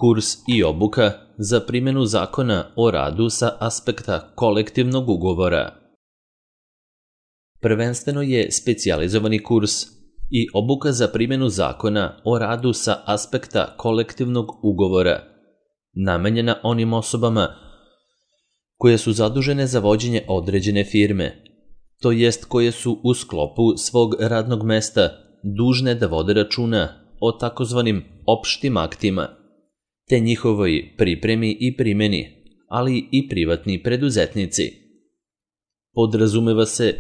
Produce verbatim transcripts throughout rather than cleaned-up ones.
Kurs i obuka za primjenu Zakona o radu sa aspekta kolektivnog ugovora. Prvenstveno je specijalizovani kurs i obuka za primjenu Zakona o radu sa aspekta kolektivnog ugovora, namenjena onim osobama koje su zadužene za vođenje određene firme, to jest koje su u sklopu svog radnog mesta dužne da vode računa o takozvanim opštim aktima, te njihovoj pripremi i primjeni, ali i privatni preduzetnici. Podrazumeva se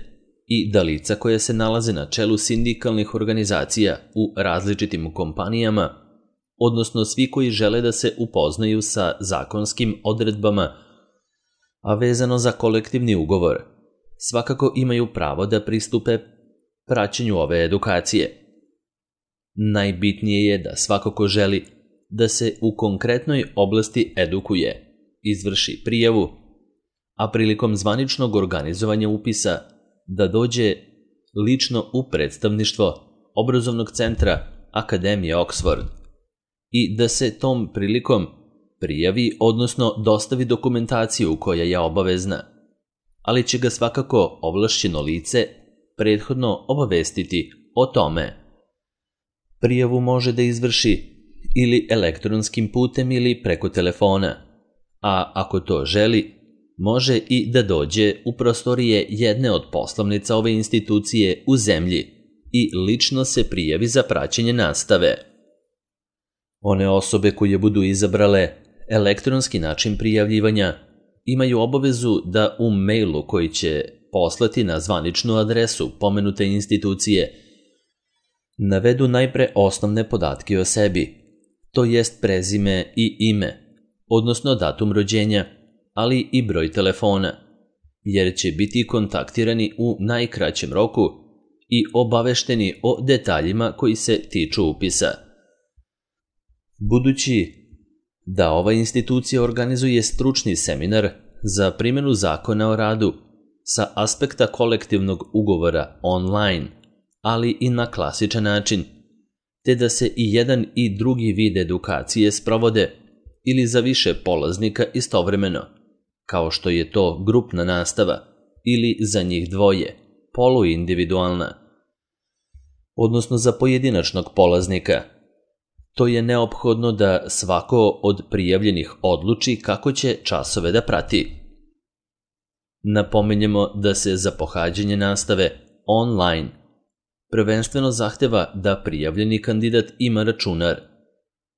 i da lica koja se nalaze na čelu sindikalnih organizacija u različitim kompanijama, odnosno svi koji žele da se upoznaju sa zakonskim odredbama, a vezano za kolektivni ugovor, svakako imaju pravo da pristupe praćenju ove edukacije. Najbitnije je da svako ko želi da se u konkretnoj oblasti edukuje, izvrši prijavu, a prilikom zvaničnog organizovanja upisa da dođe lično u predstavništvo obrazovnog centra Akademije Oxford i da se tom prilikom prijavi, odnosno dostavi dokumentaciju koja je obavezna, ali će ga svakako ovlašćeno lice prethodno obavestiti o tome. Prijavu može da izvrši ili elektronskim putem ili preko telefona, a ako to želi, može i da dođe u prostorije jedne od poslovnica ove institucije u zemlji i lično se prijavi za praćenje nastave. One osobe koje budu izabrale elektronski način prijavljivanja imaju obavezu da u mailu koji će poslati na zvaničnu adresu pomenute institucije navedu najpre osnovne podatke o sebi, to jest prezime i ime, odnosno datum rođenja, ali i broj telefona, jer će biti kontaktirani u najkraćem roku i obavešteni o detaljima koji se tiču upisa. Budući da ova institucija organizuje stručni seminar za primjenu Zakona o radu sa aspekta kolektivnog ugovora online, ali i na klasičan način, te da se i jedan i drugi vid edukacije sprovode ili za više polaznika istovremeno, kao što je to grupna nastava ili za njih dvoje, poluindividualna, odnosno za pojedinačnog polaznika. To je neophodno da svako od prijavljenih odluči kako će časove da prati. Napominjemo da se za pohađanje nastave online prvenstveno zahteva da prijavljeni kandidat ima računar,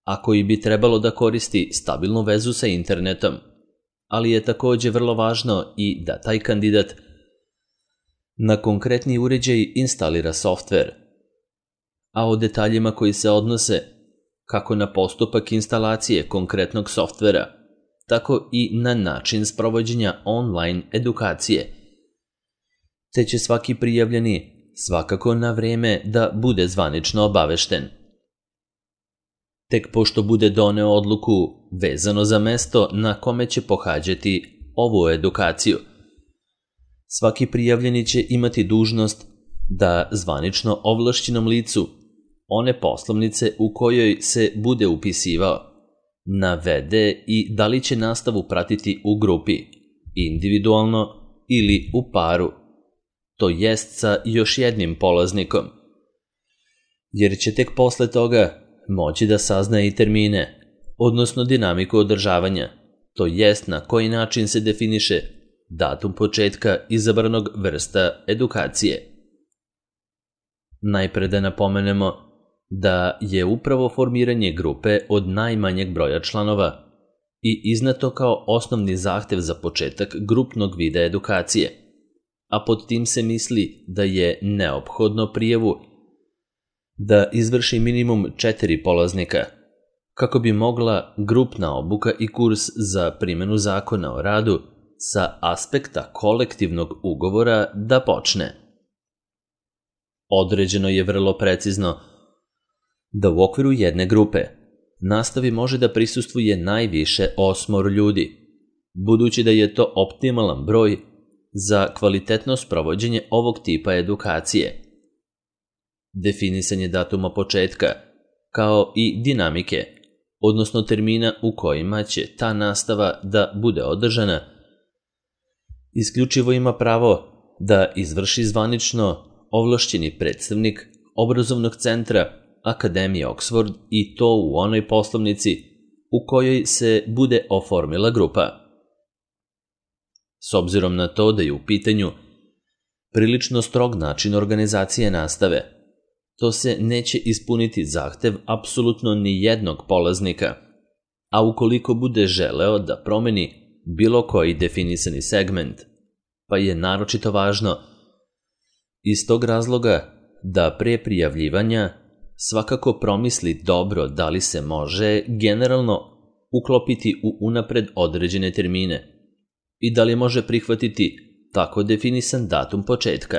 a koji bi trebalo da koristi stabilnu vezu sa internetom, ali je takođe vrlo važno i da taj kandidat na konkretni uređaj instalira softver, a o detaljima koji se odnose kako na postupak instalacije konkretnog softvera, tako i na način sprovođenja online edukacije, te će svaki prijavljeni svakako na vreme da bude zvanično obavešten. Tek pošto bude doneo odluku vezano za mesto na kome će pohađati ovu edukaciju, svaki prijavljeni će imati dužnost da zvanično ovlašćenom licu one poslovnice u kojoj se bude upisivao navede i da li će nastavu pratiti u grupi, individualno ili u paru, to jest sa još jednim polaznikom, jer će tek posle toga moći da sazna i termine, odnosno dinamiku održavanja, to jest na koji način se definiše datum početka izabranog vrsta edukacije. Najpre da napomenemo da je upravo formiranje grupe od najmanjeg broja članova i izneto kao osnovni zahtev za početak grupnog vida edukacije, a pod tim se misli da je neophodno prijavu da izvrši minimum četiri polaznika, kako bi mogla grupna obuka i kurs za primjenu Zakona o radu sa aspekta kolektivnog ugovora da počne. Određeno je vrlo precizno da u okviru jedne grupe nastavi može da prisustvuje najviše osmoro ljudi, budući da je to optimalan broj za kvalitetno sprovođenje ovog tipa edukacije. Definisanje datuma početka, kao i dinamike, odnosno termina u kojima će ta nastava da bude održana, isključivo ima pravo da izvrši zvanično ovlašćeni predstavnik obrazovnog centra Akademije Oxford i to u onoj poslovnici u kojoj se bude oformila grupa. S obzirom na to da je u pitanju prilično strog način organizacije nastave, to se neće ispuniti zahtev apsolutno ni jednog polaznika, a ukoliko bude želeo da promeni bilo koji definisani segment, pa je naročito važno iz tog razloga da pre prijavljivanja svakako promisli dobro da li se može generalno uklopiti u unapred određene termine i da li može prihvatiti tako definisan datum početka.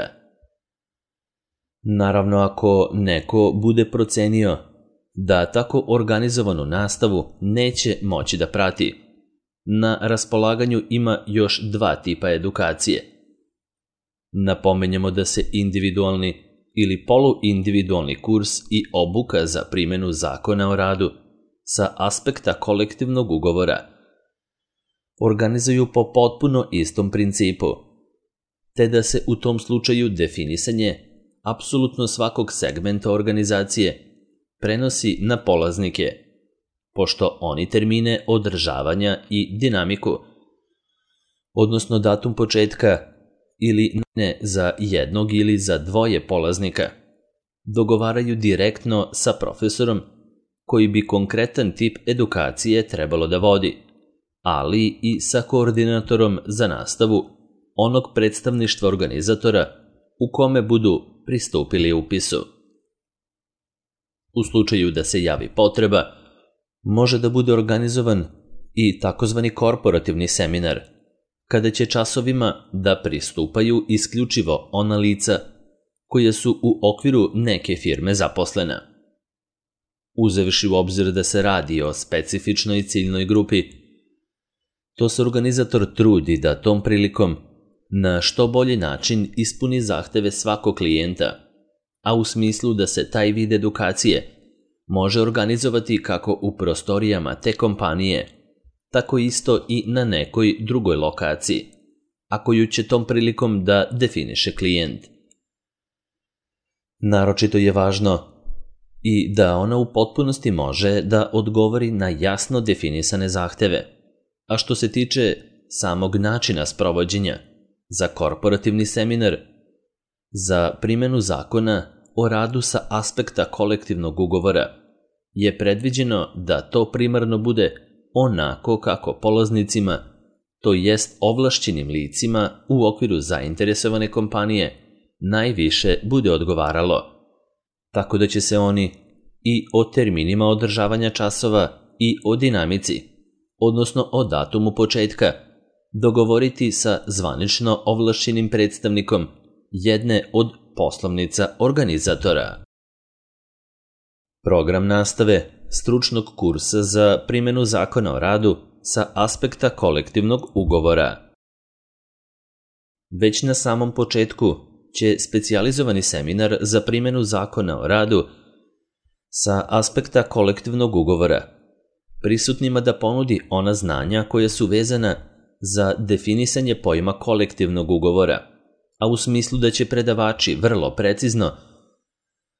Naravno, ako neko bude procenio da tako organizovanu nastavu neće moći da prati, na raspolaganju ima još dva tipa edukacije. Napomenjemo da se individualni ili poluindividualni kurs i obuka za primjenu zakona o radu sa aspekta kolektivnog ugovora organizuju po potpuno istom principu, te da se u tom slučaju definisanje apsolutno svakog segmenta organizacije prenosi na polaznike, pošto oni termine održavanja i dinamiku, odnosno datum početka ili ne za jednog ili za dvoje polaznika, dogovaraju direktno sa profesorom koji bi konkretan tip edukacije trebalo da vodi, ali i sa koordinatorom za nastavu onog predstavništva organizatora u kome budu pristupili upisu. U slučaju da se javi potreba, može da bude organizovan i takozvani korporativni seminar, kada će časovima da pristupaju isključivo ona lica koja su u okviru neke firme zaposlena. Uzevši u obzir da se radi o specifičnoj ciljnoj grupi, to se organizator trudi da tom prilikom na što bolji način ispuni zahteve svakog klijenta, a u smislu da se taj vid edukacije može organizovati kako u prostorijama te kompanije, tako isto i na nekoj drugoj lokaciji, a koju će tom prilikom da definiše klijent. Naročito je važno i da ona u potpunosti može da odgovori na jasno definisane zahteve, a što se tiče samog načina sprovođenja, za korporativni seminar, za primjenu zakona o radu sa aspekta kolektivnog ugovora, je predviđeno da to primarno bude onako kako polaznicima, to jest ovlašćenim licima u okviru zainteresovane kompanije, najviše bude odgovaralo, tako da će se oni i o terminima održavanja časova i o dinamici, odnosno o datumu početka, dogovoriti sa zvanično ovlašćenim predstavnikom jedne od poslovnica organizatora. Program nastave stručnog kursa za primjenu zakona o radu sa aspekta kolektivnog ugovora. Već na samom početku će specijalizovani seminar za primjenu zakona o radu sa aspekta kolektivnog ugovora prisutnima da ponudi ona znanja koja su vezana za definisanje pojma kolektivnog ugovora, a u smislu da će predavači vrlo precizno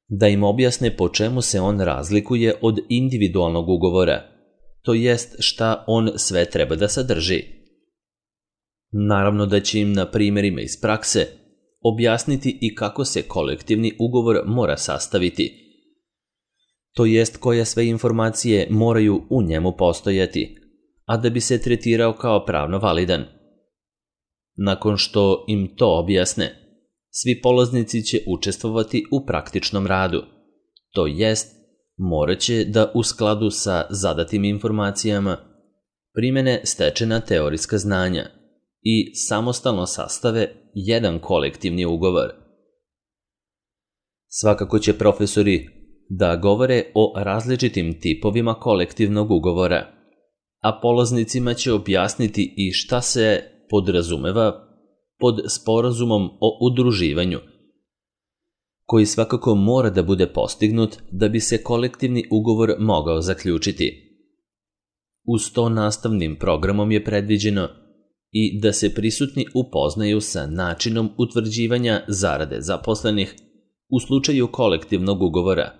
da im objasne po čemu se on razlikuje od individualnog ugovora, to jest šta on sve treba da sadrži. Naravno da će im na primjerima iz prakse objasniti i kako se kolektivni ugovor mora sastaviti, to jest koje sve informacije moraju u njemu postojati, a da bi se tretirao kao pravno validan. Nakon što im to objasne, svi polaznici će učestvovati u praktičnom radu, to jest morat će da u skladu sa zadatim informacijama primene stečena teorijska znanja i samostalno sastave jedan kolektivni ugovor. Svakako će profesori da govore o različitim tipovima kolektivnog ugovora, a polaznicima će objasniti i šta se podrazumeva pod sporazumom o udruživanju, koji svakako mora da bude postignut da bi se kolektivni ugovor mogao zaključiti, Uz to nastavnim programom je predviđeno i da se prisutni upoznaju sa načinom utvrđivanja zarade zaposlenih u slučaju kolektivnog ugovora,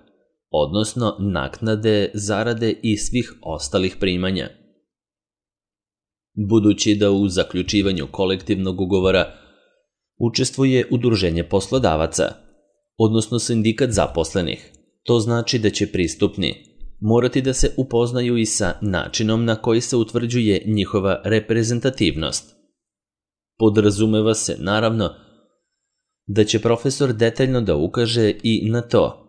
odnosno naknade, zarade i svih ostalih primanja. Budući da u zaključivanju kolektivnog ugovora učestvuje udruženje poslodavaca, odnosno sindikat zaposlenih, to znači da će pristupni morati da se upoznaju i sa načinom na koji se utvrđuje njihova reprezentativnost. Podrazumeva se, naravno, da će profesor detaljno da ukaže i na to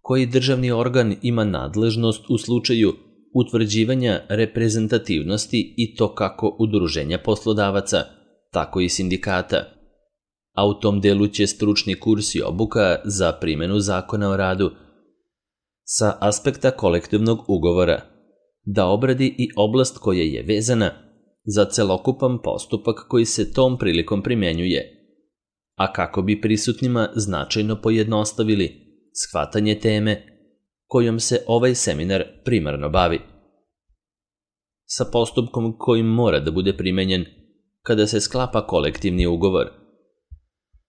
koji državni organ ima nadležnost u slučaju utvrđivanja reprezentativnosti i to kako udruženja poslodavaca, tako i sindikata. A u tom delu će stručni kurs i obuka za primjenu zakona o radu sa aspekta kolektivnog ugovora da obradi i oblast koja je vezana za celokupan postupak koji se tom prilikom primjenjuje, a kako bi prisutnima značajno pojednostavili shvatanje teme kojom se ovaj seminar primarno bavi. Sa postupkom kojim mora da bude primenjen kada se sklapa kolektivni ugovor,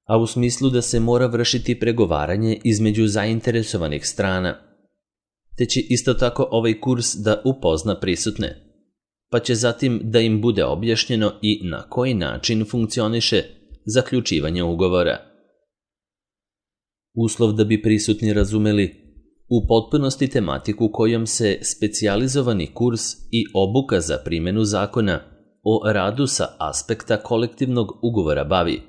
a u smislu da se mora vršiti pregovaranje između zainteresovanih strana, te će isto tako ovaj kurs da upozna prisutne, pa će zatim da im bude objašnjeno i na koji način funkcioniše zaključivanje ugovora. Uslov da bi prisutni razumeli u potpunosti tematiku kojom se specijalizovani kurs i obuka za primjenu zakona o radu sa aspekta kolektivnog ugovora bavi,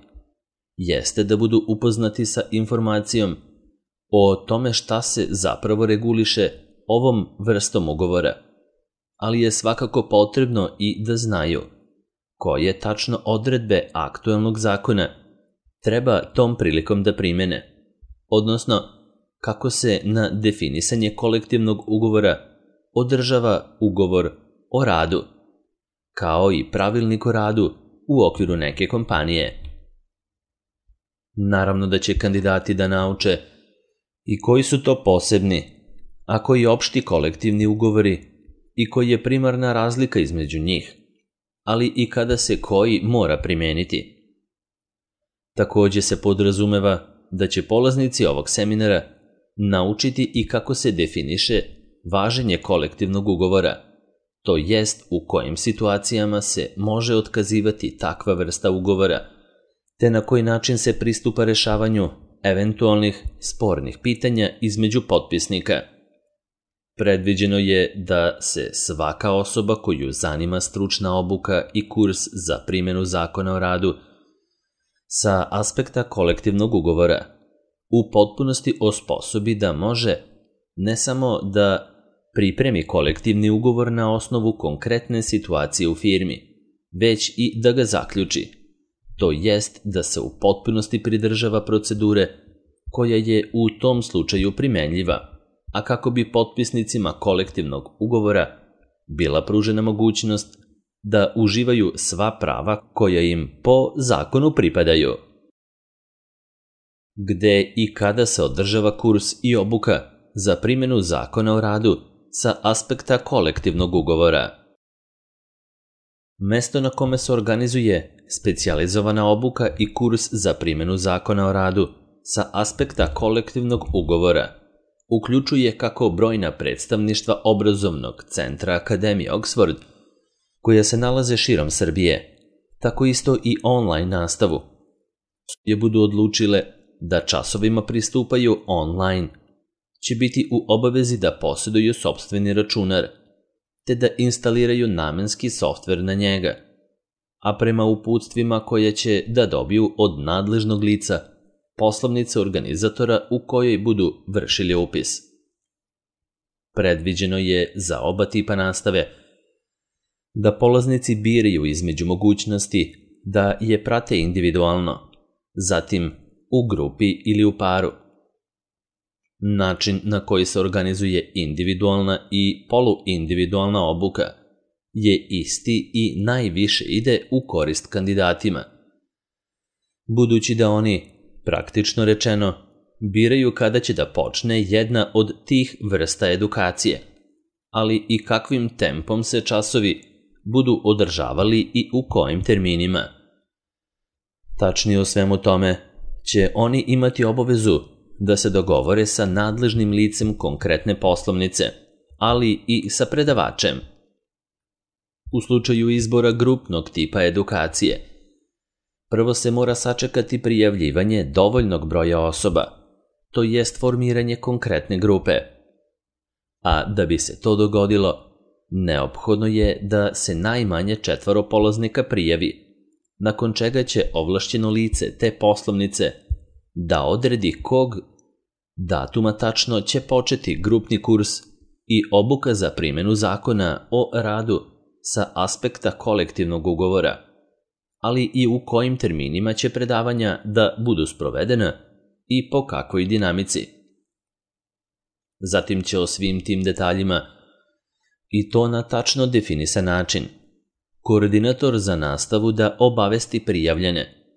jeste da budu upoznati sa informacijom o tome šta se zapravo reguliše ovom vrstom ugovora, ali je svakako potrebno i da znaju koje tačno odredbe aktuelnog zakona treba tom prilikom da primene, odnosno kako se na definisanje kolektivnog ugovora održava ugovor o radu, kao i pravilnik o radu u okviru neke kompanije. Naravno da će kandidati da nauče i koji su to posebni, a koji opšti kolektivni ugovori i koji je primarna razlika između njih, ali i kada se koji mora primeniti. Takođe se podrazumeva da će polaznici ovog seminara naučiti i kako se definiše važenje kolektivnog ugovora, to jest u kojim situacijama se može otkazivati takva vrsta ugovora, te na koji način se pristupa rešavanju eventualnih spornih pitanja između potpisnika. Predviđeno je da se svaka osoba koju zanima stručna obuka i kurs za primjenu zakona o radu sa aspekta kolektivnog ugovora u potpunosti osposobi da može ne samo da pripremi kolektivni ugovor na osnovu konkretne situacije u firmi, već i da ga zaključi, to jest da se u potpunosti pridržava procedure koja je u tom slučaju primenljiva, a kako bi potpisnicima kolektivnog ugovora bila pružena mogućnost da uživaju sva prava koja im po zakonu pripadaju. Gde i kada se održava kurs i obuka za primjenu zakona o radu sa aspekta kolektivnog ugovora. Mesto na kome se organizuje specijalizovana obuka i kurs za primjenu zakona o radu sa aspekta kolektivnog ugovora uključuje kako brojna predstavništva obrazovnog centra Akademije Oxford, koja se nalaze širom Srbije, tako isto i online nastavu, je budu odlučile da časovima pristupaju online, će biti u obavezi da posjeduju sopstveni računar, te da instaliraju namenski softver na njega, a prema uputstvima koje će da dobiju od nadležnog lica, poslovnice organizatora u kojoj budu vršili upis. Predviđeno je za oba tipa nastave da polaznici biraju između mogućnosti da je prate individualno, zatim u grupi ili u paru. Način na koji se organizuje individualna i poluindividualna obuka je isti i najviše ide u korist kandidatima, budući da oni, praktično rečeno, biraju kada će da počne jedna od tih vrsta edukacije, ali i kakvim tempom se časovi budu održavali i u kojim terminima. Tačnije o svemu tome će oni imati obavezu da se dogovore sa nadležnim licem konkretne poslovnice, ali i sa predavačem. U slučaju izbora grupnog tipa edukacije, prvo se mora sačekati prijavljivanje dovoljnog broja osoba, to jest formiranje konkretne grupe. A da bi se to dogodilo, neophodno je da se najmanje četvoro polaznika prijavi, nakon čega će ovlašćeno lice te poslovnice da odredi kog datuma tačno će početi grupni kurs i obuka za primjenu zakona o radu sa aspekta kolektivnog ugovora, ali i u kojim terminima će predavanja da budu sprovedena i po kakvoj dinamici. Zatim će o svim tim detaljima, i to na tačno definisan način, koordinator za nastavu da obavesti prijavljene,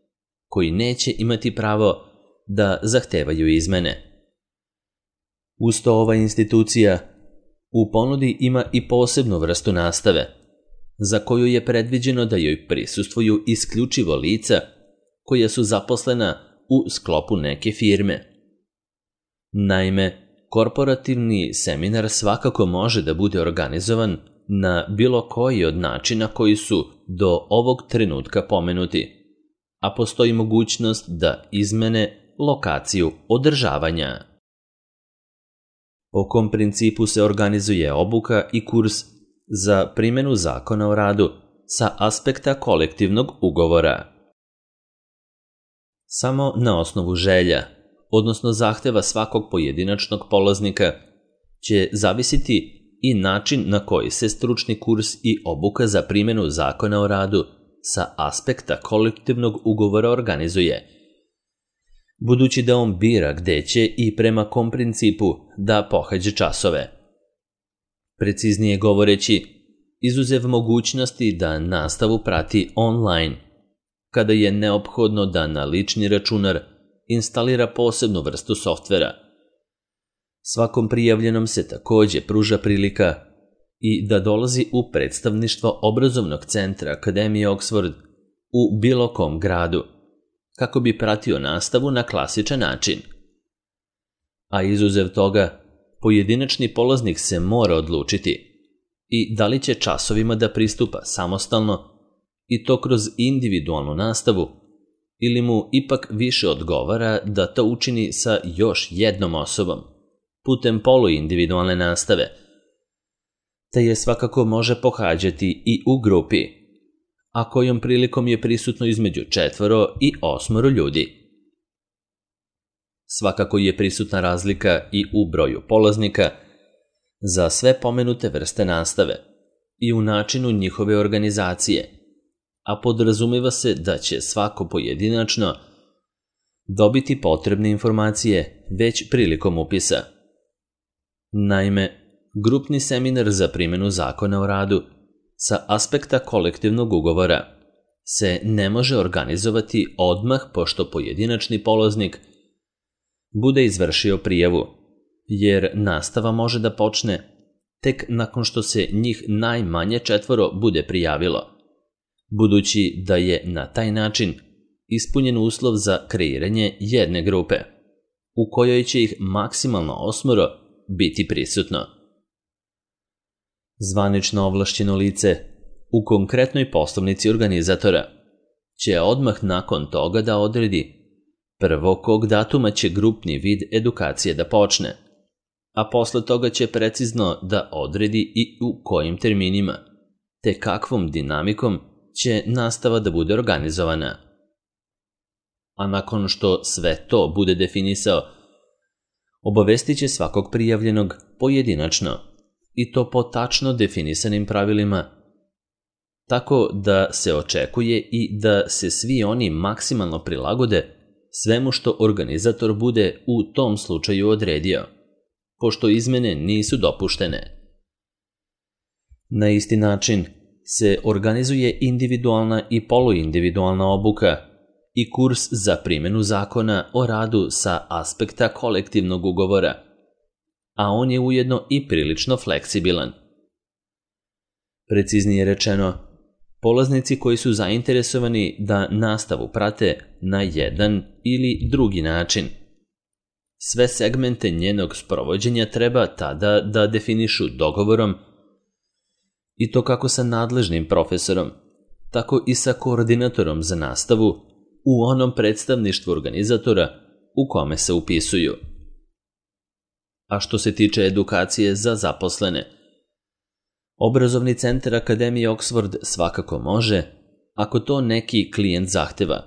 koji neće imati pravo da zahtevaju izmene. Uz to ova institucija u ponudi ima i posebnu vrstu nastave, za koju je predviđeno da joj prisustvuju isključivo lica koja su zaposlena u sklopu neke firme. Naime, korporativni seminar svakako može da bude organizovan na bilo koji od načina koji su do ovog trenutka pomenuti, a postoji mogućnost da izmene lokaciju održavanja. Po kom principu se organizuje obuka i kurs za primjenu zakona o radu sa aspekta kolektivnog ugovora? Samo na osnovu želja, odnosno zahteva svakog pojedinačnog polaznika, će zavisiti i način na koji se stručni kurs i obuka za primjenu zakona o radu sa aspekta kolektivnog ugovora organizuje, budući da on bira gde će i prema kom principu da pohađa časove. Preciznije govoreći, izuzev mogućnosti da nastavu prati online, kada je neophodno da na lični računar instalira posebnu vrstu softvera. Svakom prijavljenom se takođe pruža prilika i da dolazi u predstavništvo obrazovnog centra Akademije Oxford u bilo kom gradu, kako bi pratio nastavu na klasičan način. A izuzev toga, pojedinačni polaznik se mora odlučiti i da li će časovima da pristupa samostalno i to kroz individualnu nastavu, ili mu ipak više odgovara da to učini sa još jednom osobom, putem poluindividualne nastave, te je svakako može pohađati i u grupi, a kojom prilikom je prisutno između četvoro i osmoro ljudi. Svakako je prisutna razlika i u broju polaznika za sve pomenute vrste nastave i u načinu njihove organizacije, a podrazumeva se da će svako pojedinačno dobiti potrebne informacije već prilikom upisa. Naime, grupni seminar za primjenu zakona o radu sa aspekta kolektivnog ugovora se ne može organizovati odmah pošto pojedinačni polaznik bude izvršio prijavu, jer nastava može da počne tek nakon što se njih najmanje četvoro bude prijavilo, budući da je na taj način ispunjen uslov za kreiranje jedne grupe, u kojoj će ih maksimalno osmoro biti prisutno. Zvanično ovlašćeno lice u konkretnoj poslovnici organizatora će odmah nakon toga da odredi prvo kog datuma će grupni vid edukacije da počne, a posle toga će precizno da odredi i u kojim terminima, te kakvom dinamikom će nastava da bude organizovana. A nakon što sve to bude definisao, obavestit će svakog prijavljenog pojedinačno i to po tačno definisanim pravilima, tako da se očekuje i da se svi oni maksimalno prilagode svemu što organizator bude u tom slučaju odredio, pošto izmene nisu dopuštene. Na isti način se organizuje individualna i poluindividualna obuka i kurs za primjenu zakona o radu sa aspekta kolektivnog ugovora, a on je ujedno i prilično fleksibilan. Preciznije rečeno, polaznici koji su zainteresovani da nastavu prate na jedan ili drugi način. Sve segmente njenog sprovođenja treba tada da definišu dogovorom, i to kako sa nadležnim profesorom, tako i sa koordinatorom za nastavu u onom predstavništvu organizatora u kome se upisuju. A što se tiče edukacije za zaposlene, Obrazovni centar Akademije Oxford svakako može, ako to neki klijent zahteva,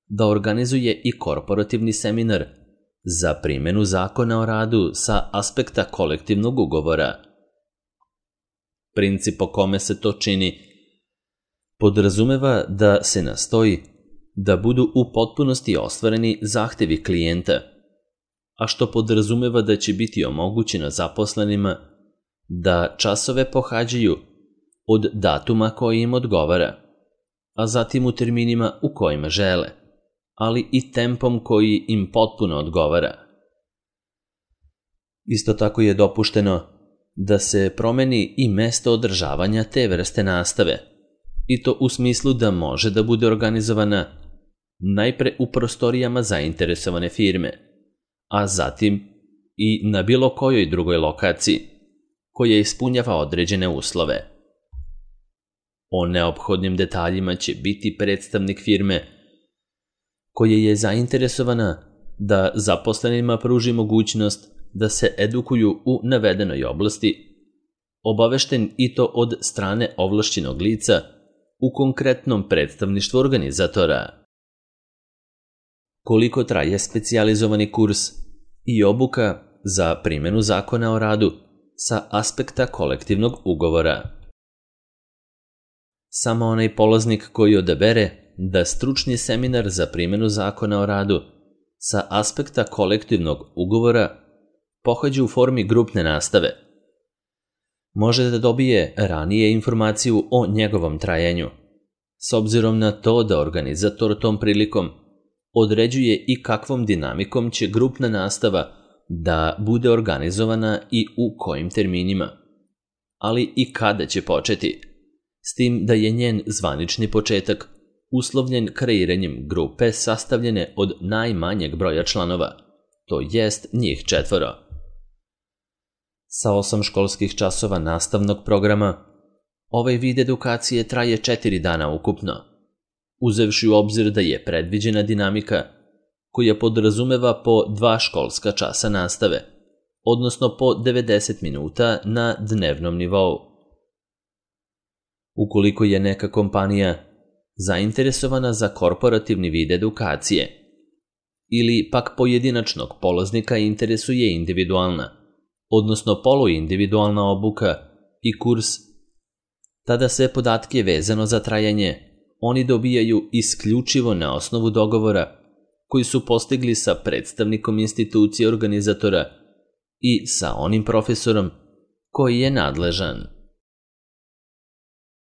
da organizuje i korporativni seminar za primjenu zakona o radu sa aspekta kolektivnog ugovora. Princip po kome se to čini podrazumeva da se nastoji da budu u potpunosti ostvareni zahtevi klijenta, a što podrazumeva da će biti omogućeno zaposlenima da časove pohađaju od datuma koji im odgovara, a zatim u terminima u kojima žele, ali i tempom koji im potpuno odgovara. Isto tako je dopušteno da se promeni i mesto održavanja te vrste nastave, i to u smislu da može da bude organizovana najpre u prostorijama zainteresovane firme, a zatim i na bilo kojoj drugoj lokaciji koja ispunjava određene uslove. O neophodnim detaljima će biti predstavnik firme koja je zainteresovana da zaposlenima pruži mogućnost da se edukuju u navedenoj oblasti, obavešten i to od strane ovlašćenog lica u konkretnom predstavništvu organizatora. Koliko traje specijalizovani kurs i obuka za primjenu zakona o radu sa aspekta kolektivnog ugovora? Samo onaj polaznik koji odabere da stručni seminar za primjenu zakona o radu sa aspekta kolektivnog ugovora pohađa u formi grupne nastave može da dobije ranije informaciju o njegovom trajanju, s obzirom na to da organizator tom prilikom određuje i kakvom dinamikom će grupna nastava da bude organizovana i u kojim terminima, ali i kada će početi, s tim da je njen zvanični početak uslovljen kreiranjem grupe sastavljene od najmanjeg broja članova, to jest njih četvoro. Sa osam školskih časova nastavnog programa, ovaj vid edukacije traje četiri dana ukupno, uzevši u obzir da je predviđena dinamika koja podrazumeva po dva školska časa nastave, odnosno po devedeset minuta na dnevnom nivou. Ukoliko je neka kompanija zainteresovana za korporativni vid edukacije ili pak pojedinačnog polaznika interesuje individualna, odnosno poluindividualna obuka i kurs, tada sve podatke vezano za trajanje oni dobijaju isključivo na osnovu dogovora koji su postigli sa predstavnikom institucije organizatora i sa onim profesorom koji je nadležan.